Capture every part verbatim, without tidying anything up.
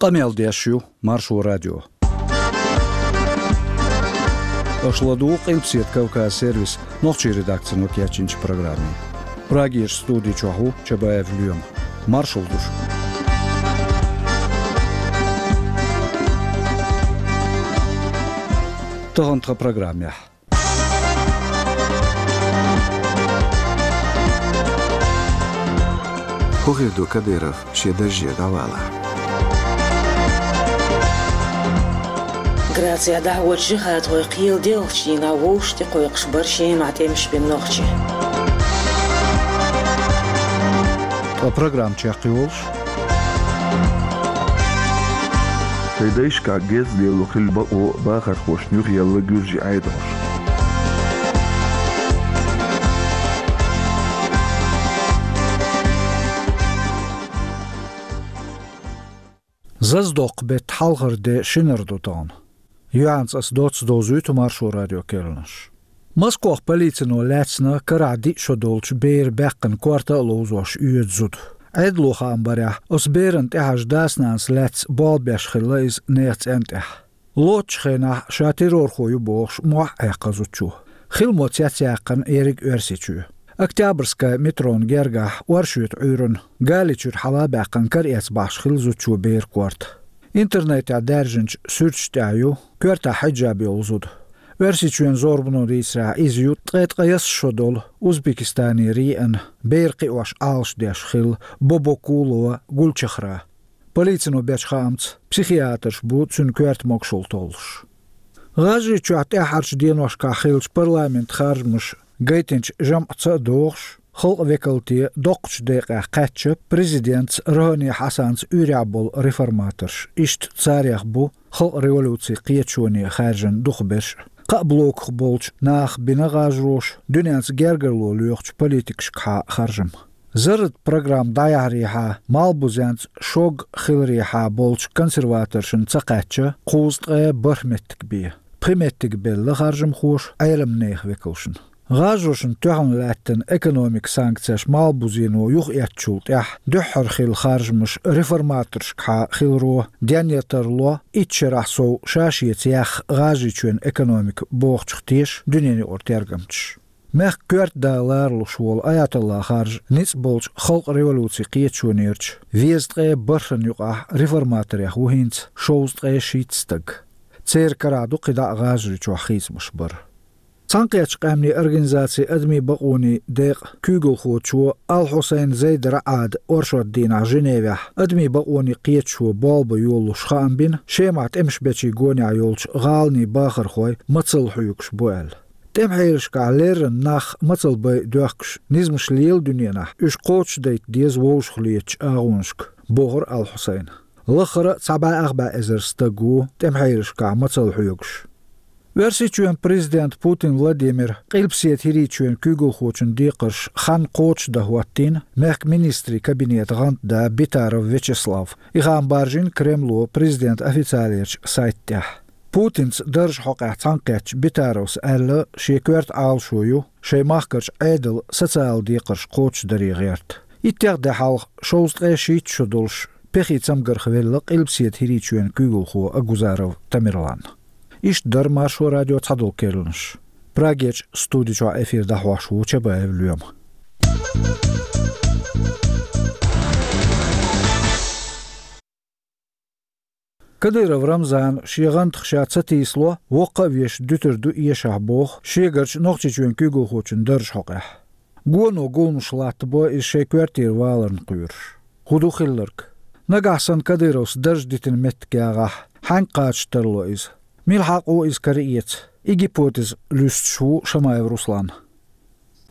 Къамел деш ю Маршо радио. Аша ладугӀу Къилбаседа Кавказ сервисан нохчийн редакцино кечйинчу программе. Прагерчу студи чохь ву Чабаев Лоьма. Маршалла ду шуьга. Тахана тхан программехь. ХӀун хир ду Кадыров шен дарже дӀавалахь? Грацехь дӀахьочу жихӀадхойн кхелан делхачу дийнахь вовшах тӀекхойкхуш бара Шемахь тӀемаш бина нохчий. Ткъа программа чекхйолуш. Шайн дайшкахь геза лело хилла бакъо бахархошна юхаелла гуьржийн Ӏедалш. Зазадоккху беттан хьалхара де шинара ду тахана. Юьхьанца аса доцца довзуьйту Маршо радион керланаш. Москвахь полицино лаьцна карахь диъ шо долчу беран баьккхина корта а ловзош оьцу зуда. Ӏедало хаам барехь, оцу берана тӀехьажа дас-нанас лаьцна болх беш хилла иза нехан цӀенна тӀехь. Лоцучу хенахь ша террорхо ю бохуш, мохь а Ӏаьккхина зудчо. Хила мо цецъяьккхина ерриг Оьрсийчоь. Октябрьская метрон гергахь оршотан Ӏуьйранна, гали чуьра хьала а баьккхина, кара эцна бахьаш хилла зудчо беран корта. Интернетехь даьржинчу суьрташ тӀехь ю коьртахь хьиджаб йолу зуда. Оьрсийчоьнан зорбано дийцарехь, иза ю ткъе ткъайесна шо долу Узбекистанера еана, бер кхиош Ӏалашдеш хилла Бобокулова Гульчехра. Полицино бечу хаамца, психиатрш бу цуьнан коьрта могушалла толлуш. ГӀажарийчохь тӀаьххьарчу деношкахь хиллачу парламентан харжамаша гайтинчу жамӀаца а догӀуш, халкъан векалте доккхачу декъехь кхаьчна президентца Рохани Хьасанца уьйрехь болу реформаторш, иштта царех бу халкъан революцин кхеташоне хаьржина дукхахберш а. Кхаа блоках болчу наха бина гӀажароша дуьненца гергарло лоьхучу политикашкахьа харжам. Зарратан программа дӀаяхьарехьа, малхбузенца шог хиларехьа болчу консерваторшна ца кхаьчна кхузткъе бархӀ меттиг бен. Пхи меттиг белла харжамхоша Ӏеламнехан векалшна. ГӀажарошна тоьхна лаьттина экономикан санкцеш малхбузено юхаэцначул тӀаьхьа дуьххьара хилла харжамаш реформаторшкахьа хиларо денъян тарло итт шарахь сов ша-шеца яьхна ГӀажарийчоьнан экономика бохучух теша дуьненаюкъара тергамчаш. Мехкан коьрта да ларалуш волу Аятолла харжа ницкъ болчу халкъан революцин кхеташонерчу везткъе бархӀанна юкъахь реформаторех ву хӀинца шовзткъе шийтта стаг. Церан карахь ду кхидӀа а ГӀажарийчохь хийцамаш бар. Цхьаьнакхеттачу Къаьмнийн Организацин адамийн бакъонийн декъан куьйгалхочо Ал-Хьусайн Зейд РаӀада оршотан дийнахь Женевехь адамийн бакъонийн кхеташо болх бан йолалуш хаам бина, Шемахь тӀемаш бечийн гонехь йолчу гӀаланийн бахархой мацалла хьоьгуш бу аьлла. ТӀемахьелашкахь леррина нах мацалла бай доьхкуш низамаш лела дуьненахь, уьш кхочушдайта деза вовшахлетачу агӀонашка, бохура Ал-Хьусайна. Лаххара а цхьа бӀе ах бӀе эзар стаг ву тӀемахьелашкахь мацалла хьоьгуш. Оьрсийчоьнан президента Путин Владимира Къилбаседа ХӀирийчоьнан куьйгалхочун декхарш хан кхочушдан хӀоттийна мехкан министрийн кабинетан гӀантда Битаров Вячеслав. И хаам баржийна Кремло президентан официалерчу сайта тӀехь. Путинца даржан хьокъехь цхьаьнакхеттачу Битаровс аьлла, шен коьрта Ӏалашо ю шайн махкарчу Ӏедалан социалан декхарш кхочушдаре гӀерта. Иттех де хьалха шовзткъе шийтта шо долуш пехий цамгарх велла Къилбаседа ХӀирийчоьнан куьйгалхо Агузаров Тамерлан. Иштта дара Маршо радион цхьадолу керланаш. Прагерчу студи чохь эфир дӀахьош ву Чабаев Лоьма. Кадыров Рамзана шен гӀантах ша ца тийсало, воккха а вешан дуьтур ду эшахь боху шегарчу Нохчийчоьнан куьйгалхочун даржан хьокъехь. Гоно гуламаш латтабо иза шайн коьртера валарна кхоьруш. ХӀун ду хилларг? Нагахь санна Кадыровс дарж дитина меттиг ягӀахь, хьаьнга кхача тарло иза? Мила хьакъ ву иза караэца? И гипотеза луьстуш ву Шамаев Руслан.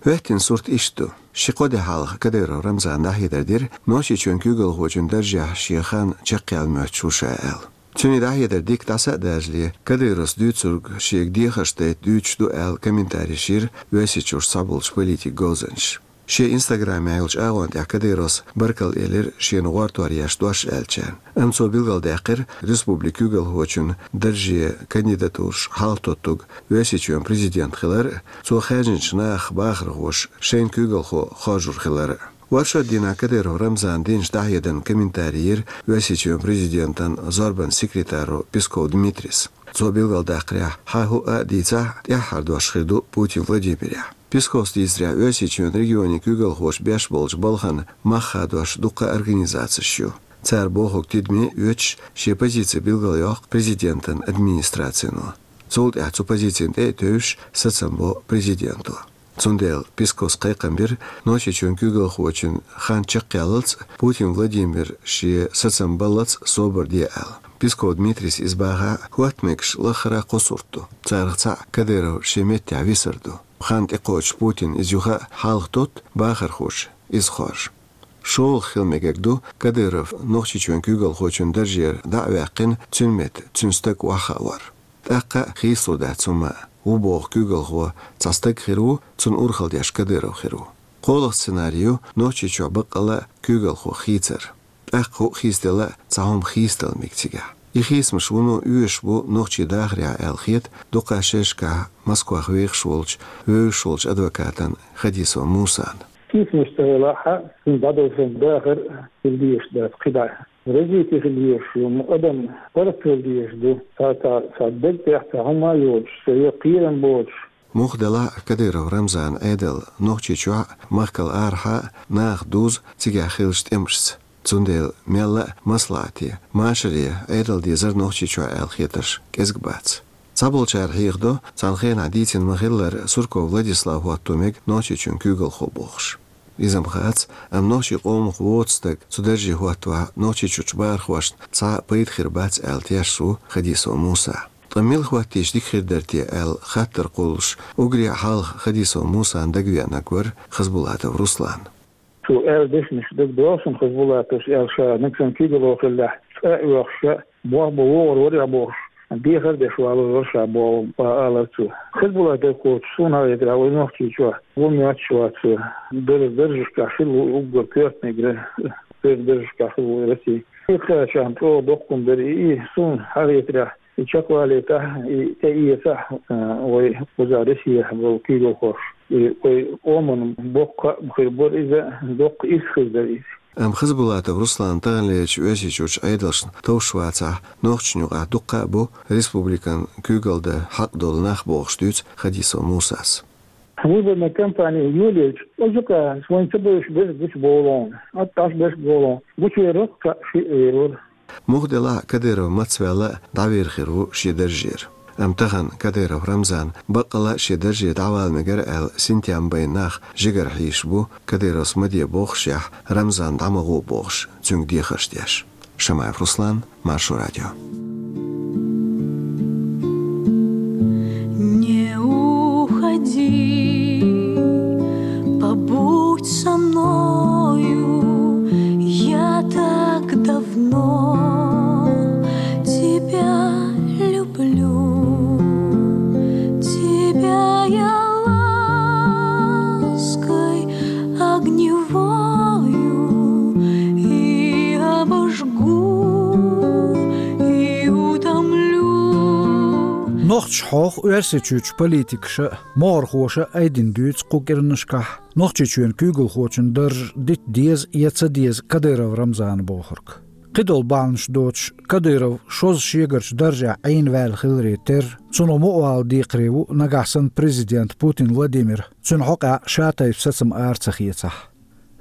ХӀоьттина сурт иштта ду. Ши-кхо де хьалха Кадыров Рамзана дӀахьедар дира, Нохчийчоьнан куьйгалхочун даржехь шен хан чекхъяла моьттуш ву ша аьлла. Цуьнан дӀахьедар дика дӀаса а даржале, Кадыровс дуьйцург шега дехарш дайта дуьйцуш ду аьлла комментареш йира Оьрсийчуьрчу цхьаболчу политикан говзанчаша. Шен инстаграмехь йолчу агӀон тӀехь Кадыровс баркалла элира шена гӀортор еш дош аьллачарна. Амма цо билгалдаьккхира республикан куьйгалхочун дарже кандидатураш хьалхатоттург Оьрсийчоьнан президент хилар а, цо хаьржинчу нахах бахархоша шайна куьйгалхо хоржур хилар а. Варшо дийнахь Кадыров Рамзана динчу дӀахьедарна комментарий йира Оьрсийчоьнан президентан зорбанан секретаро Песков Дмитрийс. Цо билгалдаккхарехь, хьан хӀуъа а дийцахь, тӀаьххьара дош хир ду Путин Владимирехь. Песковс дийцарехь, Оьрсийчоьнан регионийн куьйгалхоша беш болчу балхана мах хадош дуккха а организацеш ю. Цара бохург тидаме оьцуш, шен позици билгалйоккху президентан администрацино. Цул тӀаьхьа цу позицина тӀе а тевжаш, сацам бо президенто. Цундела Песковс кхайкхам бира Нохчийчоьнан куьйгалхочун хан чекхъяллалц а, Путин Владимир шен сацам баллалц а собар де аьлла. Песков Дмитрийс иза бахахь, хӀотта мегаш лаххара кхо сурт ду. Царах цхьаъ Кадыров шен меттехь висар ду. Хан тӀекхочуш Путина иза юха а хьалха тотту, бахархоша иза хоржу. ШолгӀа хила мегар ду Кадыров Нохчийчоьнан куьйгалхочун даржера дӀа а ваьккхина, цуьнан метта цуьнан стаг охьахаавар. ТӀаккха а хийцалур дац хӀумма а. Ву боху куьйгалхо цхьа стаг хир ву, цунна урхалла деш Кадыров хир ву. КхоалгӀа сценарий ю Нохчийчохь баккъалла а куьйгалхо хийцар. ТӀаккха хӀуъа хийцаделла а цхьа хӀума хийцадала мега цигахь. И хийцамаш вуно оьшуш бу нохчийн дахарехь аьлла хета дукха шерашкахь Москвахь вехаш волчу, вевзаш волчу адвокатан Хадисов Мусан. Хийцамаш ца хилахь, цуьнан дӀадовзаран дахар хила дезаш дац кхидӀа. Развитие хила езаш ю, адам паргӀатвала дезаш ду, цхьа, цхьа, цхьа дагтехь цхьа хӀума а йоцуш, цхьа кхерам боцуш. Муха делахь а, Кадыров Рамзанан Ӏедал Нохчийчохь а, махкал арахьа а наха дузу цигахь хиллачу тӀемашца. Цундела мелла а маслаӀате, машаре Ӏедал дезара Нохчийчохь аьлла хетарш кӀезиг бац. Цхьаболчара хьехадо, цхьана хенахь дийцина ма-хиллара, Сурков Владислав хӀотто мега Нохчийчоьнан куьйгалхо бохуш. Иза-м хац, амма нохчийн къомах воцу стаг цу дарже хӀоттавахь, Нохчийчуьрчу бахархошна цхьа а пайда хир бац аьлла тешаш ву Хадисов Муса. Ткъа мила хӀоттийча дика хир дара те аьлла хаттар кхуллуш, уггаре а хьалха Хадисов Мусана дагавеанарг вара Хасбулатов Руслан. Цо аьлла дешнаш дагадогӀу суна, Хасбулатовс аьлла, ша нагахь санна куьйгалхо хиллехь, цкъа а оьхуш, болх бан вогӀур вара бохуш, дехар а деш валор вара ша боху, алара цо. Хасбулатов кхочуш, суна хетарехь, вай Нохчийчохь вон моьттуш вац цо. Дара даржашкахь хилла ву уггар коьртаниг, дара даржашкахь хилла ву Россия. Иккхачарна чӀогӀа доккха хӀума дара и, и суна хетарехь, и чекхвалийтахь, и тӀеэцахь, а, вай кхузахь Россехь болу куьйгалхоша. И вай къоман боккха а хир бара иза, доккха ирс хир дара иза. Амма Хасбулатов Руслан таханлерчу Оьрсийчуьрчу Ӏедалшна товш вацахь, нохчашна юкъахь дуккха а бу республикан куьйгалла дан хьакъ долу нах бохуш, дуьйцу Хадисов Мусас. Выборная кампания йолаелча, оцу юкъа вайн ца бевзаш берш гучубовлу, атташ берш бовлу, гучувер вара, кхаъ шиъ вер вара. Муха делахь а, Кадыров мацваьлла а дӀавер хир ву шен даржера. Амма тахана Кадыров Рамзан баккъалла а шен дарже дӀавала мегара аьлла, синтем бен нах жигара хьийзаш бу, Кадыровс ма де бохушехь, Рамзан дӀа ма гӀо бохуш, цуьнга дехарш деш. Шамаев Руслан, Маршо радио. Не уходи, побудь со мною, я так давно тебя люблю, тебя я лаской огневою и обожгу, и утомлю. Нохчаша хьох Оьрсийчуьрчу политикаша, могӀархоша айдина дуьйцу кху кӀиранашкахь Нохчийчоьнан куьйгалхочун дарж дита деза я ца деза Кадыров Рамзана бохург. Кхидолу бахьанаш доцуш, Кадыров шозза шегарчу даржехь Ӏийна ваьлла хиларе терра, цунах мукъавала декхаре ву нагахь санна президент Путин Владимир, цуьнан хьокъехь ша-тайпа сацам ара ца хецахь.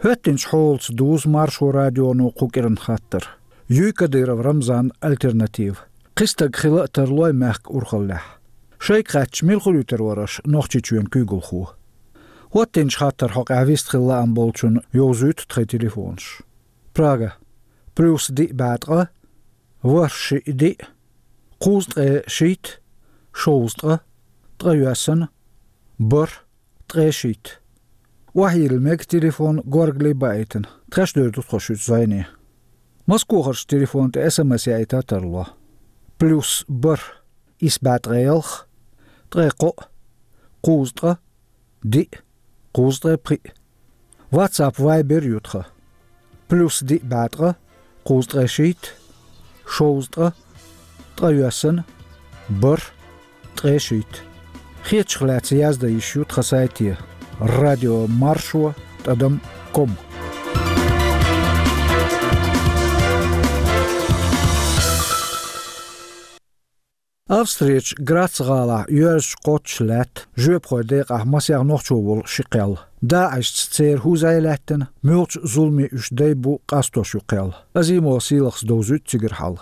ХӀоьттинчу хьолаца дузу Маршо радионо кху кӀиран хаттар. Юй Кадыров Рамзанна альтернатива? Кхин стаг хила а тарлой мехкан урхаллехь? Шайга хаьттича, мила хуьлуьйтур вара аша Нохчийчоьнан куьйгалхо? ХӀоттинчу хаттаран хьокъехь вистхила лаам болчунна йовзуьйту тхайн телефонаш. Прага: плюс диъ бӀе ткъа, ворхӀ шиъ диъ, кхузткъе шийтта, шовзткъа, ткъайоьсна, бархӀ, ткъе шийтта. Охьайилла мега телефон горгали баийтина, тхаьш девр ду тхо шуьца зӀене. Москохарчу телефона тӀе СМС яийта а тарло. Плюс бархӀ, исс бӀе ткъе ялх, ткъе кхоъ, кхузткъа, диъ, кхузткъе пхиъ. WhatsApp, Viber ю тхан. Плюс диъ бӀе ткъа, кхузткъе шийтта, шовзткъа, ткъайоьсна, бархӀ, ткъе шийтта. Хетачух лаьцна яздан йиш ю тхан сайте: радио маршо тӀадам ком. Австрерчу Грац-гӀалахь йоьрзачу кхоччуш лаьтта жоьпахойн декъехь масех нохчо волу ши кхел. ДАИШ-ца церан хӀун зӀе лаьттина, муьлхачу зуламийн уьш дай бу къастош ю кхел. Азимова Сийлахьас довзуьйту цигара хьал.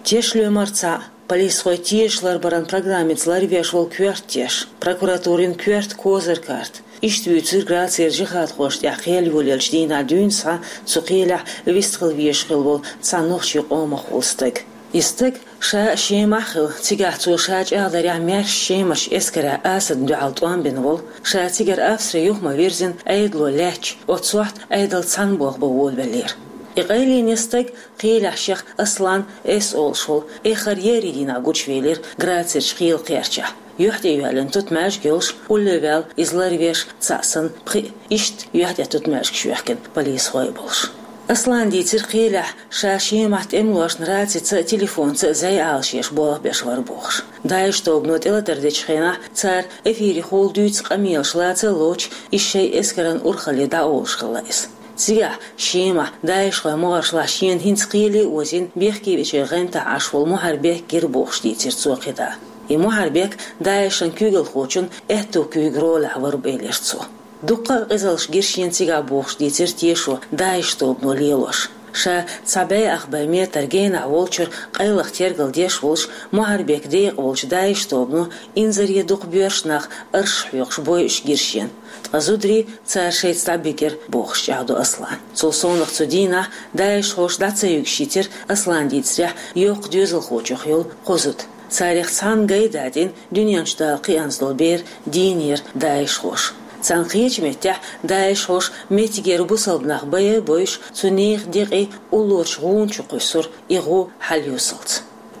Теш лоьмар цхьаъ, полисхой тешаш ларбаран программица ларвеш волу коьрта теш, прокуратурин коьрта козыркарт. Иштта вуьйцура Грацера жихӀадхошна тӀехь кхел йолаеллачу дийнахь дуьйна схьа цу кхелехь вистхила везаш хилла волу цхьа нохчийн къомах волу стаг. И стаг ша а, Шемахь а хилла, цигахь цо ша чӀагӀдарехь, маьрша Шемарчу эскаран Асадна дуьхьал тӀом бина волу, ша цигара Австри юха ма-вирзина, Ӏедало лаьтташ, оццу сохьта Ӏедал цхьаьна болх бан волавеллера. И къайленан стаг кхелехь шех Аслан С. олуш волу эххар еарин дийнахь гучувелира Грацерчу кхелан кхерчахь. Юьхь тӀе йоьллина тутмаьждиг йолуш, улле ваьлла иза ларвеш цхьаъ санна, пхиъ, иштта юьхь тӀе тутмаьждигаш йоьхкина полисхой а болуш. Аслана дийцира кхелехь ша Шемахь тӀемалошна рацица а, телефонца а зӀе Ӏалашъеш болх беш вара бохуш. ДАИШ тобано тӀелатар дечу хенахь цара эфирехула дуьйцу къамелаш лаца а лоцуш, иза шайн эскаран урхалле дӀаолуш хилла иза. Цигахь Шемахь ДАИШ-хойн могӀаршлахь шена хӀинца кхеле а озийна, бехке вечеран гӀантахь Ӏаш волу Мухьарбек гира бохуш дийцира цо кхидӀа. И Мухьарбек ДАИШ-ан куьйгалхочун аьтту куьйга ролехь вара бу элира цо. Дуккха а къизаллаш гира шена цигахь бохуш дийцира тешо ДАИШ тобано лелош. Ша цхьа бӀе ах бӀе метр генахь волчуьра къайлаха тергал деш волуш, Мухьарбекан декъа волчу ДАИШ тобано инзаре дукха боьрша нах аршах хьоькхуш бойуш гира шена. Ткъа зударий цара шайца дӀабигира бохуш чӀагӀдо Аслана. Цул совнаха цу дийнахь ДАИШ-хой дӀа ца юьгуш йитира, Аслана дийцарехь, йоккха доьзалхочух йолу кхо зуда. Царех цхьанна гай датӀийна дуьнен чу дала кхиъна долу бер дийнера ДАИШ-хой. Царна кхечу меттехь ДАИШ-хой меттигера бусалба нах байъа а бойуш, цу нехан декъий уллорчу гӀуна чу кхуьссура, и гӀу хьалъюьсалц.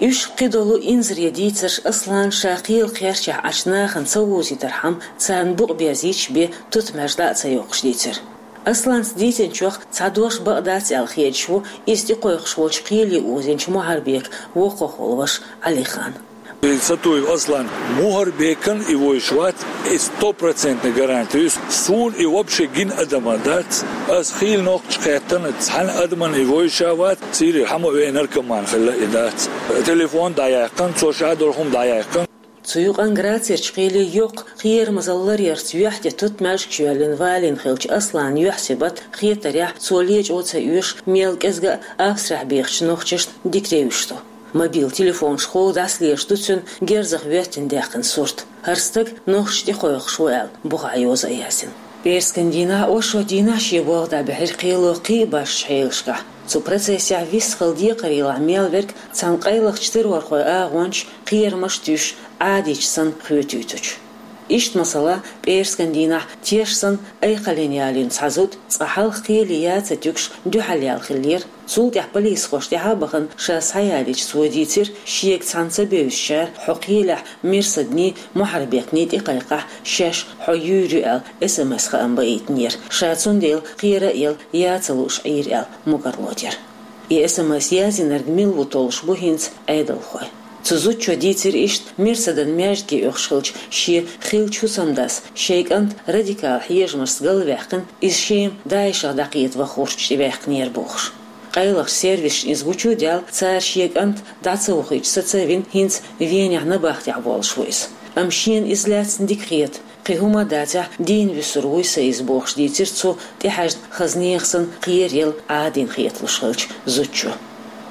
Уьш кхидолу инзаре дийцарш Аслана ша кхелан кхерчахь Ӏачу нахана ца вузийтархьама, царна букъ беззийча бен тутмаьждиг дӀа а ца йоккхуш дийцира. Асланца дийцинчух цхьа дош бакъ дац аьлла хедаш ву иза тӀекхойкхуш волчу кхеле озийначу Мухьарбекан воккхахволу ваша Ӏалихан. И Сатуев Аслан Мухьарбекан и вовзаш вац, и стопроцентный гарантия ю. Суна и вообще гина адам а дац. Ас хийла нохча кхеттана цхьана адаман и вовзаш а вац, Сирера хьан ма веана наркоман хилла и дац. Телефон дӀаяьккхина, цо ша долу хӀума дӀаяьккхина. Цу юкъанна Грацерчу кхеле йоккха кхерамазалла ларъярца юьхь тӀе тутмаьждигаш йоьллина валийна хиллачу Асланан юьхь-сибат хетарехь, цо лечкъо ца оьшу, мел кӀезга а Австрехь бехачу нохчашна дика девзаш ду. Мобил телефонашкахула дӀасалелаш ду цуьнан герзах воьттина даьккхина сурт. ХӀара стаг нохчаша тӀекхойкхуш ву аьлла, бухахь йоза а яздина. ПӀераскан дийнахь, оршот дийнахь шен болх дӀабихьира кхело кхин а башхачу хьелашкахь. Цу процессехь вистхила декхарийлахь мел верг цхьана къайлахчу террорхойн агӀончаша кхерамаш а туьйсуш, Ӏадийча санна хоьтуьйтучу. Иштта, масала, пӀераскан дийнахь теш санна айкхаллина ялийна цхьа зуда, цкъа хьалха кхеле яц а туьгуш, дуьхьал яьлла хиллера. Цул тӀаьхьа полисхоша тӀаьхьа а бахана, ша схьаялийча, цо дийцира, шега цхьаьна ца бевзачара хьо кхелехь Мирсадний, Мухьарбекний тӀекхайкхахь, шаьш хьо юьйр ю аьлла, эс-эм-эс хаам баийтинера. Ша цундела кхера а елла, ян ца лууш Ӏийра аьлла, мукӀарло дира. И эс-эм-эс яздинарг мила ву толлуш бу хӀинца Ӏедалхой. Цу зудчо дийцира иштта, Мирсадан маьждиге оьхуш хилча, шен хиллачу хӀусамдас шайн кӀант радикал хьежамашца галваьккхина, иза Шема ДАИШ-ах дӀакхета ваха гӀурташ тӀеваьккхинера бохуш. Къайлахчу сервисашна иза гучудаьлла, цара шен кӀант дӀа ца вахийтуш саца а вина, хӀинца Венехь набахтехь волуш ву иза. Амма шена иза лаьцна дика хета, кхин хӀума а дацахь, дийна вуьсур вуй сан иза бохуш дийцира цу тӀехьаьжна хаза нехан санна кхераелла Ӏадийна хеталуш хиллачу зудчо.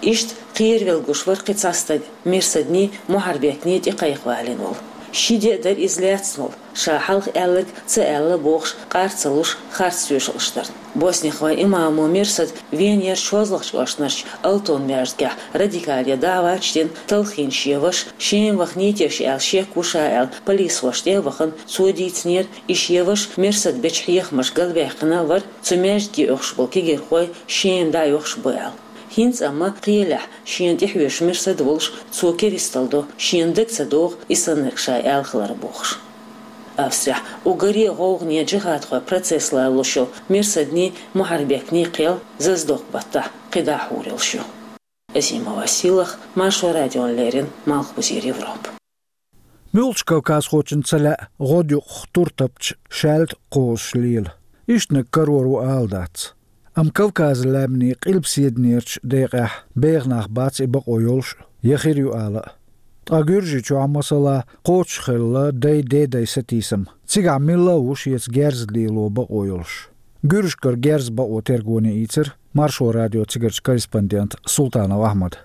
Иштта кхеравелла гуш вара кхин цхьа стаг, Мирсадний, Мухьарбекний тӀекхайкхавалийна волу. Ши де а дара иза лаьцна волу, ша хьалха аьлларг ца аьлла бохуш, къар ца луш, харц тоьшаллаш дарна. Босниххойн имамо Мирсад Венерчу хӀозлагӀчу кӀоштарчу Алтон маьждигехь радикале даӀваташ дина, талхийна шен ваша, Шема вахнийта аьлла шек ву ша аьлла, полисхошна тӀе а вахана, цо дийцинера, и шен ваша Мирсад бечу хьехамашка галваьккхина вара, цу маьждиге оьхуш болу кегийрхой Шема дӀаоьхуш бу аьлла. ХӀинца амма кхелехь шена тӀехьоьжуш Мирсад волуш, цо керисталла до, шена дага ца догӀу и саннарг ша аьлла хилар бохуш. Австрехь уггаре а гӀовгӀане, джихадхойн процесс ларалуш йолу Мирсадний, Мухьарбекний кхел Зазадоккху-баттахь кхидӀа а хьур йолуш ю. Азимова Сийлахь, Маршо радиона леррина, Малхбузера Европа. Муьлххачу кавказхочунна ца лаьа гӀодаюкъахь тур тапча шаьлта кхозуш лела. Иштаниг карор ву ала дац. Амма Кавказан лаьмнийн къилбаседанерчу декъехь беха нах бац и бакъо йолуш а, я хир ю ала а. Ткъа Гуьржийчохь, масала, кхочушхилла дай-дедай сатийсам. Цигахь милла а ву шеца герз лело бакъо йолуш. Гуьржашкара герз бакъо тергоне ийцира Маршо радион цигарчу корреспондента Султанов Ахьмада.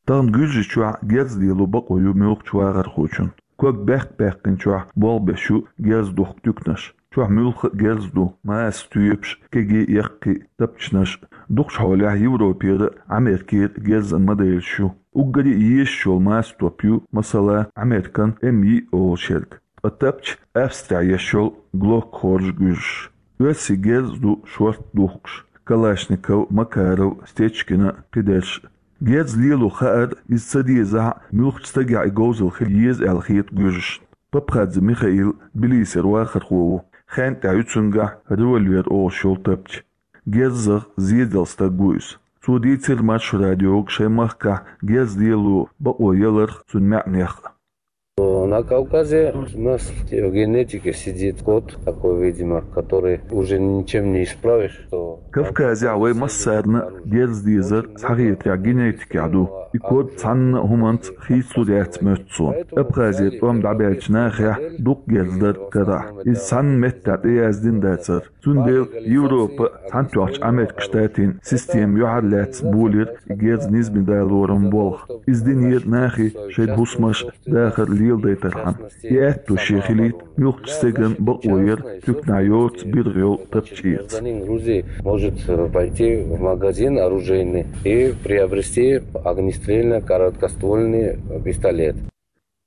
Тахана Гуьржийчохь герз лело бакъо ю муьлххачу вахархочун. Ког баьккх-баьккхинчохь болх беш ю герз духку туьканаш. Чохь муьлхха а герз ду: маса тоьпаш, кегий, яккхий тапчанаш. Дукхачу хьолехь Европера а, Америкера а герзан моделаш ю. Уггаре а езаш йолу маса топ ю, масала, Американ М йиъ олуш ерг. Ткъа тапча Австрехь еш йолу Глок хоржу гуьржаш. Оьрсийн герз ду шорта духкуш: Калашников, Макаров, Стечкина, кхидерш. Герз лело хаар, иза ца дезахь а, муьлххачу стагехь и говзалла хила еза аьлла хета гуьржашна. Папхадзе Михаил Тбилисера вахархо ву. Хенна тӀехь ю цуьнгахь револьвер олуш йолу тапча. Герзах зеделла стаг ву иза. Цо дийцира Маршо радиога шайн махкахь герз лело бакъо яларх, цуьнан маьӀнех а. На Кавказе у нас в генетике сидит код такой, видимо, который уже ничем не исправишь, что Кавказехь вай массарна а герз дезар схьахетарехь генетикехь ду. И код цхьанна а хӀуманца хийцалур яц моьтту суна. Абхазера тӀом дӀабаьллачу нахехь дукха герз дара карахь. Иза цхьанна меттехь тӀеяздина дацара. Цундела Европа, цхьаьнатоьхначу Американ Штатийн система юьхьарлаьцна болийра и герз низам далоран болх. Иза динера нахе шайн хӀусамаш, дахар леладайтархьама. И аьтто шен хилийта муьлххачу стеган бакъо яр туьканахь йоцу биргӀа йолу тапча эца. Гражданин Грузии может пойти в магазин оружейный и приобрести огнестрельно-короткоствольный пистолет.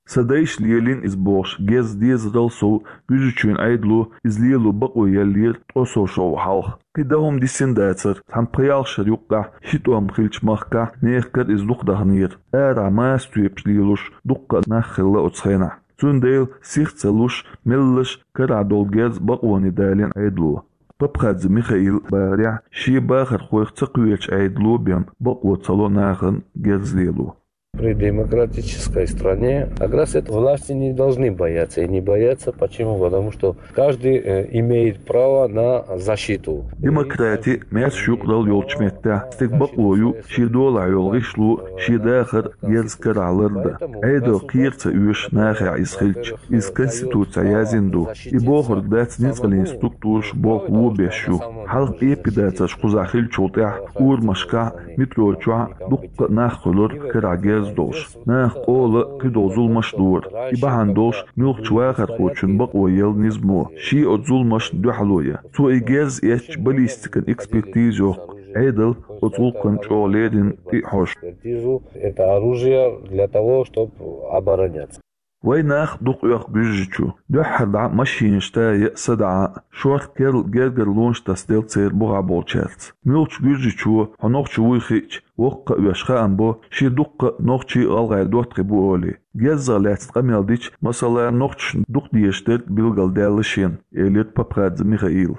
Сан дайша лелийна иза бохуш, герз дезарал сов, Гуьржийчоьнан Ӏедало иза лело бакъо еллера ткъо сов шо хьалха. Кхин дан хӀума дисина дацара, цхьана пхи-ялх шарна юккъехь ши тӀом хиллачу махкахь нехкара иза дукха даханера. Арахь маса тоьпаш лелош дуккха а нах хилла оцу хенахь. Цундела сих ца луш, меллаша карахь долу герз бакъоне далийна Ӏедало. Папхадзе Михаила бахарехь, шен бахархойх ца кхоьручу Ӏедало бен бакъо ца ло нахана герз лело. При демократической стране как раз это власти не должны бояться. И не бояться почему? Потому что каждый э, имеет право на защиту. Демократи, маьрша юкъаралла йолчу меттехь стеган бакъо ю шен долахь йолу гӀишло, шен дахар герз карахь лардан. Ӏедал кхера ца оьшу нахехь иза хилча. Иза Конституцехь яздина ду. И бохург дац ницкъаллин структураш болх вон беш ю. Хьалха эпидацарш кхузахь хиллачул тӀаьхьа урамашкахь, метро чохь дуккха а нах хуьлура карахь герз долуш. Наха къола а, кхидолу зуламаш а дора. И бахьана долуш муьлххачу вахархочун бакъо елла низамо, шен оцу зуламашна дуьхьало ян. Цо и герз эцча баллистикан экспертиза йоккху, Ӏедал оцу гӀуллакхна чӀогӀа леррина тӀе а хьожу. Экспертизу это оружие для того, чтобы обороняться. Вайн нах дукха оьху Гуьржийчу. Дуьххьара дӀа машинаш тая а, садаӀа а, шорта керла гергарлонаш тасаделла церан бухахь болчаьрца. Муьлххачу Гуьржийчо, хьо нохчо вуй хиъча, воккха а веш, хаам бо, шен дуккха а нохчий а, гӀалгӀай доттагӀий бу олий. Герзах лаьцна къамел дича, масала, нохчашна дукха дезаш дерг билгалдаьлла шена, элира Папхадзе Михаила.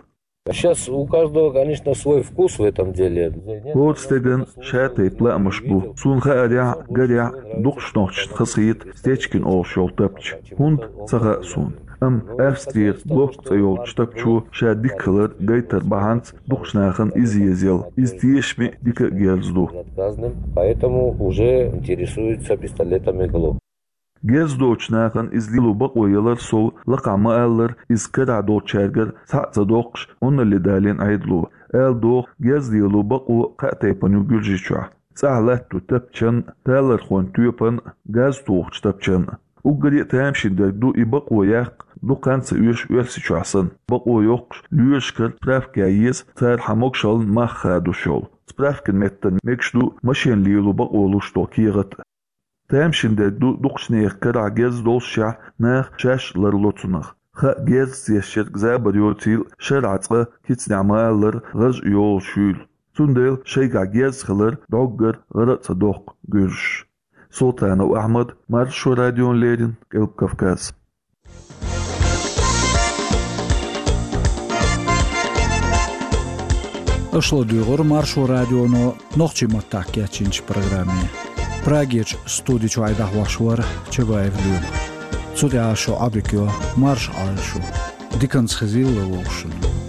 Сейчас у каждого, конечно, свой вкус в этом деле. ХӀора стеган ша тайпа лаамаш бу. Суна хаарехь, гарехь, дукхачу нохчашна хазахета Стечкин олуш йолу тапча. ХӀунда, ца хаьа суна. Амма Австрера Глок цӀе йолчу тапчо ша дика хилар гайтар бахьанца дукхачу нахана иза езаелла. Иза тешаме а, дика а герз ду. Поэтому уже интересуются пистолетами Глок. Герз доцучу нахана иза лело бакъо ялар сов, лакхахь ма-аллара, иза карахь долчаьргара цхьаъ ца доккхуш, Ӏуналле далийна Ӏедало. Ала догӀу, герз лело бакъо кхаа тайпана ю Гуьржийчохь. ЦӀахь латто тапчан а, талорхойн тоьпан а, газ тухучу тапчан а. Уггаре а тамашийна дерг ду и бакъо яккха дукха хан ца оьшу Оьрсийчохь санна. Бакъо йоккхуш, лоьрашкара справка ян еза, цара хьан могушаллин мах хадош йолу. Справкин меттана мегаш ду машен лело бакъо луш долу кехат а. Тамашийна дерг ду дукхачу нехан карахь герз доллушехь, наха шаьш ларло цунах. Хаа, герз цӀешъерг забар йоцийла, шарахь цкъа кицанехь ма-аллара, гӀаж а йолуш юйла. Цундела шайгахь герз хилар дӀоггара гӀара а ца доккху гуьржаша. Султанов Ахьмад, Маршо радиона леррина, Къилба Кавказ. Аша ладуьйгӀура Маршо радионо нохчийн маттахь кечйинчу программе. Прагерчу студи чуьра дӀахьош вара Чабаев Лоьма. Цу тӀехь шу Ӏодика йо, марша Ӏойла шу. Диканца хезийла вовшашна.